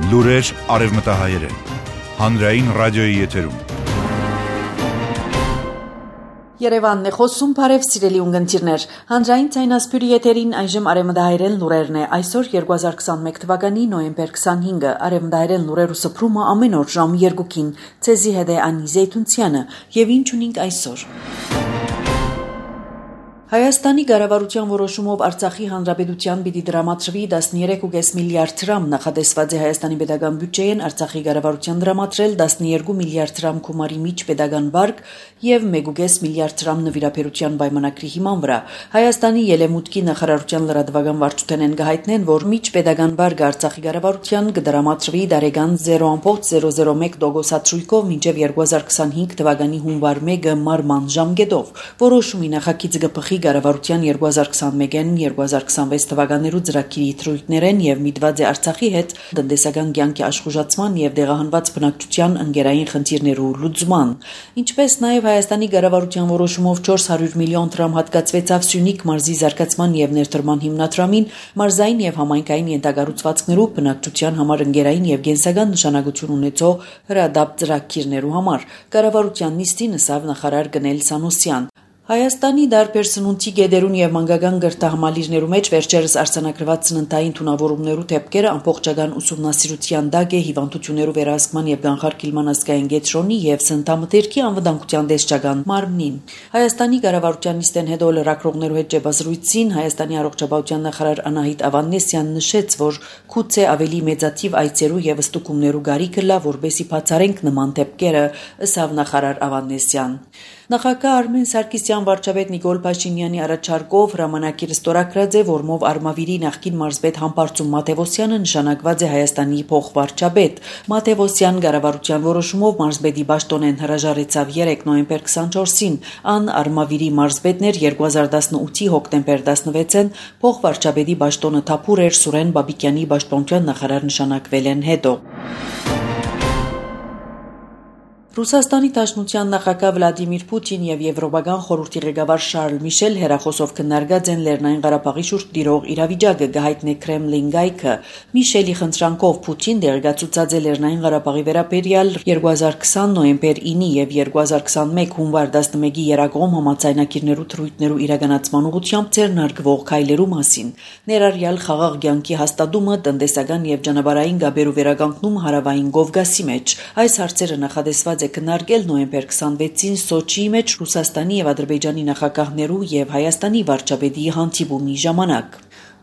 Լուրեր արևմտահայերեն, հանրային ռադիոյի եթերում։ Երևանն է խոսում, բարև սիրելի ունգընտիրներ, հանրային ցայնասպյուրի եթերին այժմ արևմտահայերեն լուրերն է, այսօր 2021 թվականի նոյեմբեր 25-ը, արևմտահայերեն լուրերու սփռումը ամեն օր ժամ 2-ին, ցեզի հետ է Անի Զեյթունցյանը, եւ ինչ ունենք այսօր։ Հայաստանի կառավարության որոշումով Արցախի հանրապետության պիտի դրամատրվի 13.5 միլիարդ դրամ, նախատեսված է Հայաստանի պետական բյուջեին Արցախի կառավարության դրամատրել 12 միլիարդ դրամ գումարի միջ պետական վարկ եւ 1.5 միլիարդ դրամ նվիրաբերության պայմանագրի հիման վրա։ Հայաստանի ելեմուտքի նախարարության լրատվական վարչությունեն գահիտնեն, որ միջ պետական վարկը Արցախի կառավարության կդրամատրվի դարեգան 0.001 դոգոսացույցով մինչեւ 2025 թվականի հունվար 1-ը մարման ժամկետով։ Որոշումի նախագիծը կփխի Կառավարության 2021-2026 թվականներու ծրագիրի թրույթներեն եւ միտված է Արցախի հետ տնտեսական կյանքի աշխուժացման եւ դեղահանված բնակչության ընկերային խնդիրներու լուծման։ Ինչպես նաեւ Հայաստանի կառավարության որոշումով 400 միլիոն դրամ հատկացվեցավ Սյունիք մարզի զարգացման եւ ներդրման հիմնադրամին, մարզային եւ համայնքային ենթակառուցվածքներու բնակչության համար ընկերային եւ կենսական նշանակություն ունեցող հրադապ ծրագիրներու համար։ Կառավարության նիստին ըսավ նախարար Գնել Սանոսյան։ Հայաստանի դարբեր սնունդի գեդերուն եւ մանկական գրթահամալիրներու մեջ վերջերս արձանագրված սննդային թունավորումներու դեպքերը ամբողջական ուսումնասիրության դակ է հիվանդություններու վերահսկման եւ կանխարգելման ազգային կենտրոնի եւ սննդամթերքի անվտանգության դեսչական մարմնին։ Հայաստանի կառավարության նիստեն հետո լրագրողներու հետ ճեպազրույցին Հայաստանի առողջապահության նախարար Անահիտ Ավանեսյանն նշեց, որ գուցե ավելի մեծաթիվ այցերու եւ ստուգումներու գարիքը լա, որբեսի բացառենք նման դեպքերը, ըսավ նախարար Ավանեսյան։ Նախագահ Արմեն Սարգսյան վարչապետ Նիկոլ Փաշինյանի առաջարկով հրամանագիրը ստորագրած է, որմով Արմավիրի նախկին մարզպետ Համբարձում Մաթևոսյանը նշանակված է Հայաստանի փոխվարչապետ։ Մաթևոսյան կառավարության որոշումով մարզպետի պաշտոնեն հրաժարեցավ 3 նոյեմբեր 24-ին, ան Արմավիրի մարզպետն էր 2018-ի հոկտեմբեր 16-ին փոխվարչապետի պաշտոնը թափուր էր Սուրեն Բաբիկյանի պաշտպանության նախարար նշանակվել են հետո։ Ռուսաստանի Դաշնության նախագահ Վլադիմիր Պուտին եւ Եվրոպական խորհրդի ղեկավար Շարլ Միշել հերախոսով քննարկած են Լեռնային Ղարաբաղի շուրջ տիրող իրավիճակը, գահիտնե Կրեմլին գայքը։ Միշելի խնդրանքով Պուտին դերակացուցած է Լեռնային Ղարաբաղի վերաբերյալ 2020 նոյեմբեր 9-ի եւ 2021 հունվար 11-ի երակողմ համաձայնագիրներու թրույթներու իրականացման ուղղությամբ ձեռնարկվող քայլերու մասին։ Ներառյալ խաղաղ կյանքի հաստատումը, տնտեսական եւ ճանապարհային գաբերու վերականգնում Հարավային Կովկասի մեջ։ Այս հարցերը նախադեсված քննարկել նոյեմբեր 26-ին Սոչիի մեջ Ռուսաստանի եւ Ադրբեջանի նախագահներու եւ Հայաստանի վարչապետի հանդիպումի ժամանակ։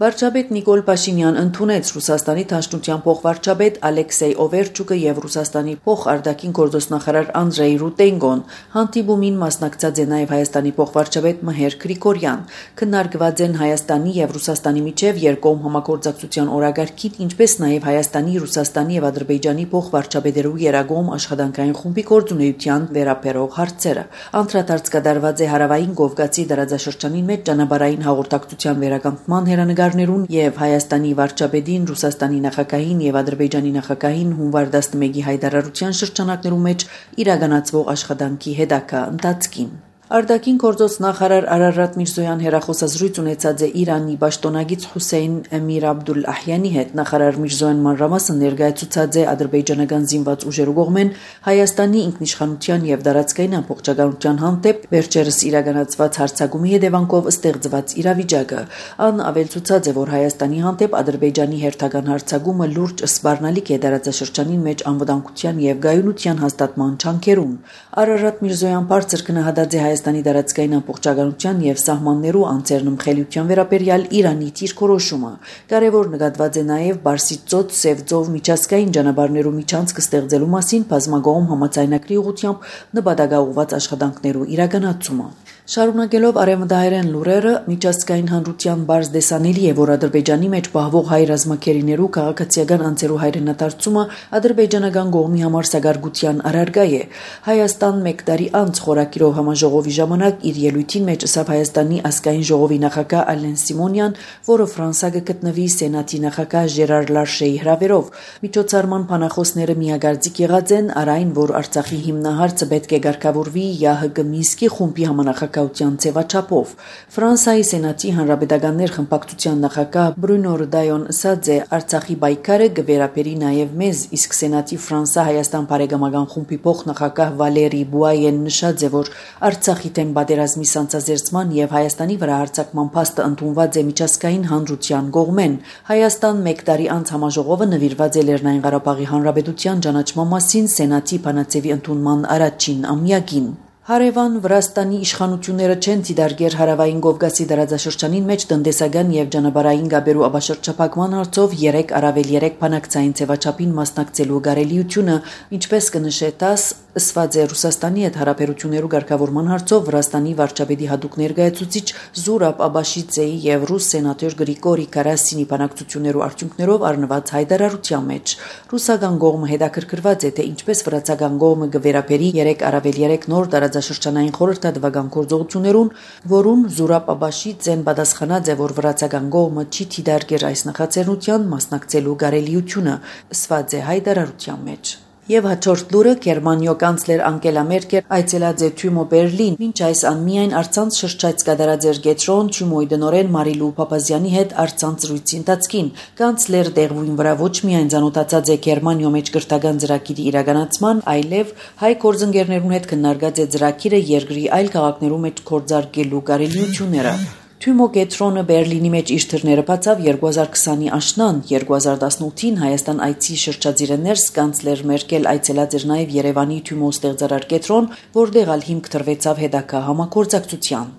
Վարչապետ Նիկոլ Փաշինյան ընդունեց Ռուսաստանի Դաշնության փոխվարչապետ Ալեքսեյ Օվերչուկը եւ Ռուսաստանի փոխարտաքին գործոստնախարար Անդրեյ Ռուտենգոն։ Հանդիպումին մասնակցած է նաեւ Հայաստանի փոխվարչապետ Մհեր Գրիգորյան։ Քննարկված են Հայաստանի եւ Ռուսաստանի միջև երկկողմ համագործակցության օրագարկին, ինչպես նաեւ Հայաստանի, Ռուսաստանի եւ Ադրբեջանի փոխվարչապետերու երակողմ աշխատանքային խումբի գործունեության վերաբերող հարցերը։ Անդրադարձ կատարված է Հարավային Կովկասի դարաձաշրջանի մեջ ճանապարհային հաղորդակցության վերականգնման հերանեկար եւ Հայաստանի վարչապետին, Ռուսաստանի նախագահին եւ Ադրբեջանի նախագահին հունվար 11-ի հայտարարության շրջանակներում մեջ իրականացվող աշխատանքի հետագա ընթացքին։ Արտաքին գործոս նախարար Արարատ Միրզոյան հերախոսազրույց ունեցած է Իրանի պաշտոնագիծ Հուսեյն Էմիր Աբդուլ-Ահյանի հետ։ Նախարար Միրզոյան մանրամասն ներկայացուցած է ադրբեջանական զինված ուժերու կողմեն Հայաստանի ինքնիշխանության եւ դարածքային ամբողջականության հանդեպ վերջերս իրականացված հարձակումի հետևանքով ստեղծված իրավիճակը։ Ան ավելցուցած է, որ Հայաստանի հանդեպ Ադրբեջանի հերթական հարձակումը լուրջ սպառնալիք է դարաձաշրջանին մեջ անվտանգության եւ գայունության հաստատման չանքերուն։ Արարատ Միրզոյան բարձր գնահատած է Հայաստանի դարածքային ամբողջականության եւ սահմաններու անձեռնմխելիության վերաբերյալ Իրանի դիրքորոշումը։ Կարևոր նկատված է նաեւ Բարսից ծոց Սև ծով միջազգային ճանապարհներու միջանցք ստեղծելու մասին բազմակողմ համաձայնագրի ուղղությամբ նպատակաուղված աշխատանքներու իրականացումը։ Շարունակելով արևմտահայերեն լուրերը, միջազգային հանրության բարձ դեսանելի է, որ Ադրբեջանի մեջ պահվող հայ ռազմաքերիներու քաղաքացիական անձերու հայրենադարձումը ադրբեջանական կողմի համար սակարկության առարկա է։ Հայաստան մեկ տարի անց խորակիրով համաժողովի ժամանակ իր ելույթին մեջ ըսավ Հայաստանի ազգային ժողովի նախագահ Ալեն Սիմոնյան, որը Ֆրանսա կգտնվի Սենատի նախագահ Ժերար Լարշեի հրավերով։ Միջոցառման բանախոսները միագործիկ եղած են առ այն, որ Արցախի հիմնահարցը պետք է ղեկավարվի ՀՀԿ Մինսկի խումբի համանախագահ քաղաքականության ձևաչափով։ Ֆրանսիայի Սենատի հանրապետականներ խմբակցության նախագահ Բրունո Ռդայոն ասաց է Արցախի պայքարը կվերապերի նաև մեզ, իսկ Սենատի Ֆրանսա-Հայաստան բարեկամական խումբի փոխնախագահ Վալերի Բուայեն նշած է, որ Արցախի դեմ պատերազմի սանձազերծման եւ Հայաստանի վրա հարձակման փաստը ընդունված է միջազգային հանրության կողմեն։ Հայաստան 1 տարի անց համաժողովը նվիրված է Լեռնային Ղարաբաղի Հանրապետության ճանաչման մասին Սենատի բանաձևի ընդունման առաջին ամյակին։ Հարևան Վրաստանի իշխանությունները չեն դիտարկել Հարավային Կովկասի տարածաշրջանին մեջ տնտեսական եւ ճանապարհային գաբերու աբաշրջափակման հարցով 3+3 բանակցային ձևաչափին մասնակցելու կարելիությունը, ինչպես կնշե ՏԱՍ, ըսված է Ռուսաստանի հետ հարաբերություններու ղեկավարման հարցով Վրաստանի վարչապետի հատուկ ներկայացուցիչ Զուրաբ Աբաշիձեի եւ ռուս սենատոր Գրիգորի Կարասինի բանակցություններու արդյունքներով առնված հայտարարության մեջ ռուսական կողմը հետաքրքրված է թե ինչպես վրացական կողմը կվերապերի 3+3 նոր տարածաշրջանային խորհրդատվական գործողություններուն, որուն Զուրաբ Աբաշիձեն պատասխանած է, որ վրացական կողմը չի դիտարկել այս նախաձեռնության մասնակցելու կարելիությունը, ըսված է հայտարարության մեջ։ Եվ հաջորդ լուրը Գերմանիո կանցլեր Անգելա Մերկել այցելած է Թյումո Բերլին, մինչ այս անմիայն առցանց շրջայց կատարած էր Գետրոն Թյումոյի դնորեն Մարիլու Փափազյանի հետ առցանց զրույցի ընթացքին։ Կանցլեր դեղույն վրա ոչ միայն ցանոթացած է Գերմանիո մեջ կրթական ծրագիրի իրականացման, այլև հայ գործընկերներուն հետ քննարկած է ծրագիրը երկրի այլ քաղաքներու մեջ գործարկելու կարելիությունները։ Թյումո Գետրոնը Բերլինի մեջ իր թռները բացավ 2020-ի աշնան, 2018-ին Հայաստան այցի շրջածիրը ներս կանցլեր Մերկել այցելած էր նաև Երևանի Թյումո ստեղծարար Գետրոն, որտեղ ալ հիմք տրվեցավ հետագա համագործակցության։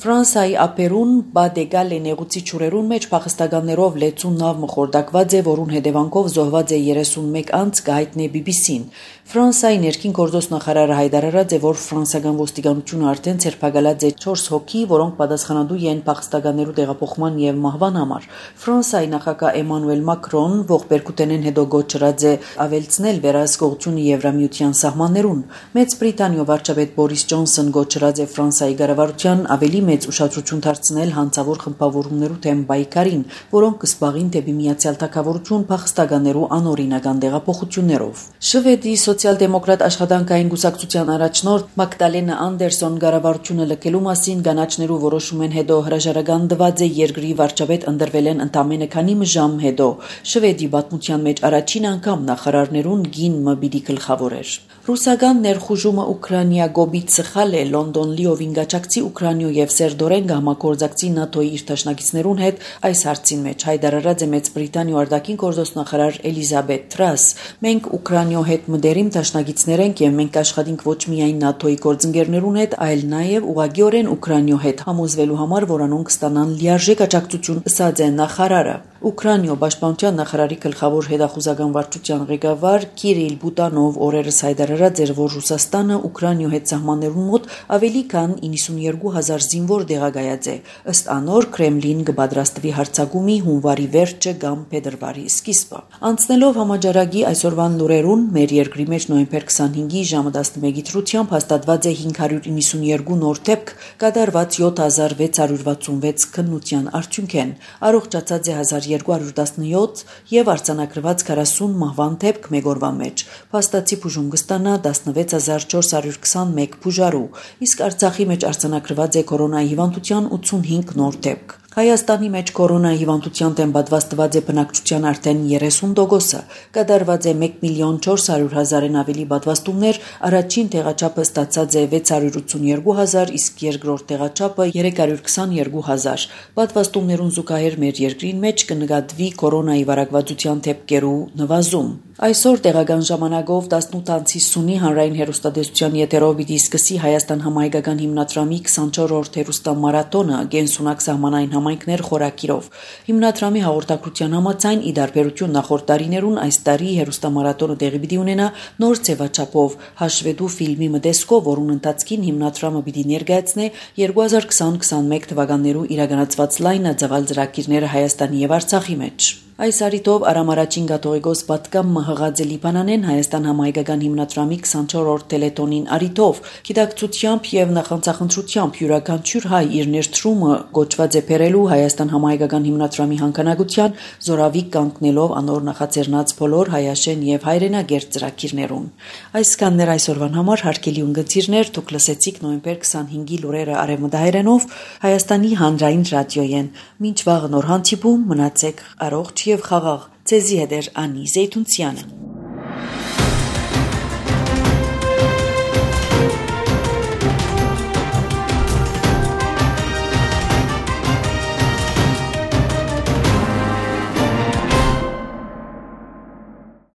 Ֆրանսիայի ափերուն Բադեգալ նեղուցի ճուրերուն մեջ փախստականներով լեցուն նավ մխորդակված է, որուն հետևանքով զոհված է 31 անձ, կհայտնի BBC-ն։ Ֆրանսիայի ներքին գործոս նախարարը հայտարարած է, որ ֆրանսիական ոստիկանությունը արդեն ցերպակալած է 4 հոգի, որոնք պատասխանատու են փախստականներու տեղափոխման եւ մահվան համար։ Ֆրանսիայի նախագահ Էմանուել Մակրոն ողբերգութենեն հետո գոչրած է ավելցնել վերահսկողությունը Եվրամիության սահմաններուն։ Մեծ Բրիտանիո վարչապետ Բորիս Ջոնսոն գոչրած է Ֆրանսիայի կառավարության ավելի մեծ ուշադրություն դարձնել հանցավոր խմբավորումներու դեմ պայքարին, որոնք կսպաղին դեպի Միացյալ Թագավորություն փախստականներու անօրինական տեղափոխություններով։ Շվեդի սոցիալ-դեմոկրատ աշխատանքային կուսակցության առաջնորդ Մագդալենա Անդերսոն կառավարությունը լքելու մասին կանաչներու որոշումեն հետո հրաժարական տված է երկրի վարչապետ ընտրվել են ընդամենը քանի ժամ հետո։ Շվեդի պատմության մեջ առաջին անգամ նախարարներուն գին մբիդի գլխավորեր։ Ռուսական ներխուժումը Ուկրաինա գոբից սխալ է Լոնդոն լիովին գաչակցի Ուկրաինո եւ Սերդորեն գահմագործակցի ՆԱՏՕ-ի իր դաշնակիցներուն հետ այս հարցին մեջ հայտարարած է Մեծ Բրիտանիո արտաքին գործոստնախարար Էլիզաբեթ Թրաս։ Մենք Ուկրաինո հետ մտերիմ դաշնակիցներ ենք եւ մենք աշխատենք ոչ միայն ՆԱՏՕ-ի գործընկերներուն հետ, այլ նաեւ ուղղակիորեն Ուկրաինո հետ համոզվելու համար, որ անոնք ստանան լիարժեք աջակցություն, ըսած է նախարարը։ Ուկրաինո պաշտպանության նախարարի գլխավոր հետախուզական վարչության ղեկավար Կիրիլ Բուտանով օրերս հայտարարած էր, որ Ռուսաստանը Ուկրաինո հետ սահմաններուն մոտ ավելի քան 92,000 զինվոր տեղակայած է։ Ըստ անոր Կրեմլին կպատրաստվի հարձակումի հունվարի վերջը կամ փետրվարի սկիզբը։ Անցնելով համաճարակի այսօրվան լուրերուն, մեր երկրի մեջ նոյեմբեր 25-ի ժամը 11-ի դրությամբ հաստատված է 592 նոր դեպք, կատարված 7666 քննության արդյունքեն, առողջացած է 1217 եւ արձանագրված 40 մահվան դեպք մեկ օրվա մեջ։ Փաստացի բուժում կստանա 16421 բուժարու, իսկ Արցախի մեջ արձանագրված է կորոնայի հիվանդության 85 նոր դեպք։ Հայաստանի մեջ կորոնայի հիվանդության դեմ պատվաստված է բնակչության արդեն 30%-ը, կատարված է 1,400,000-ն ավելի պատվաստումներ, առաջին տեղաչափը ստացած է 682,000, իսկ երկրորդ տեղաչափը 322,000։ Պատվաստումներուն զուգահեռ մեր երկրին մեջ կնկատվի կորոնայի վարակվածության դեպքերու նվազում։ Այսօր տեղական ժամանակով 18:50-ի հանրային հեռուստատեսության եթերով պիտի սկսի Հայաստան համահայկական հիմնադրամի 24-րդ հեռուստամարաթոնը գենսունակ սահմանային համայնքներ խորակիրով։ Հիմնադրամի հաղորդակցության համաձայն ի տարբերություն նախորդ տարիներուն այս տարի հեռուստամարաթոնը տեղի պիտի ունենա նոր ձևաչափով հաշվետու ֆիլմի մտեսկով, որուն ընթացքին հիմնադրամը պիտի ներկայացնե 2020-21 թվականներու իրականացված լայնածավալ ծրագիրները Հայաստանի եւ Արցախի մեջ։ Այս արիտով Արամ առաջին կաթողիկոս պատգամը հղած է Լիբանանեն Հայաստան համահայկական հիմնադրամի 24-րդ տելետոնին արիտով գիտակցությամբ եւ նախանցախնդրությամբ յուրաքանչյուր հայ իր ներդրումը գոչված է բերել կատարելու Հայաստան համահայկական հիմնադրամի հանքանագության զորավիք կանգնելով անոր նախաձեռնած բոլոր հայաշեն եւ հայրենագերտ ծրագիրներուն։ Այսքաններ այսօրվան համար հարգելի ունգընտիրներ, դուք լսեցիք նոյեմբեր 25-ի լուրերը արևմտահայերենով Հայաստանի հանրային ռադիոյեն։ Մինչ վաղ նոր հանդիպում մնացեք առողջ եւ խաղաղ։ Ձեզի հետ էր Անի Զեյթունցյանը։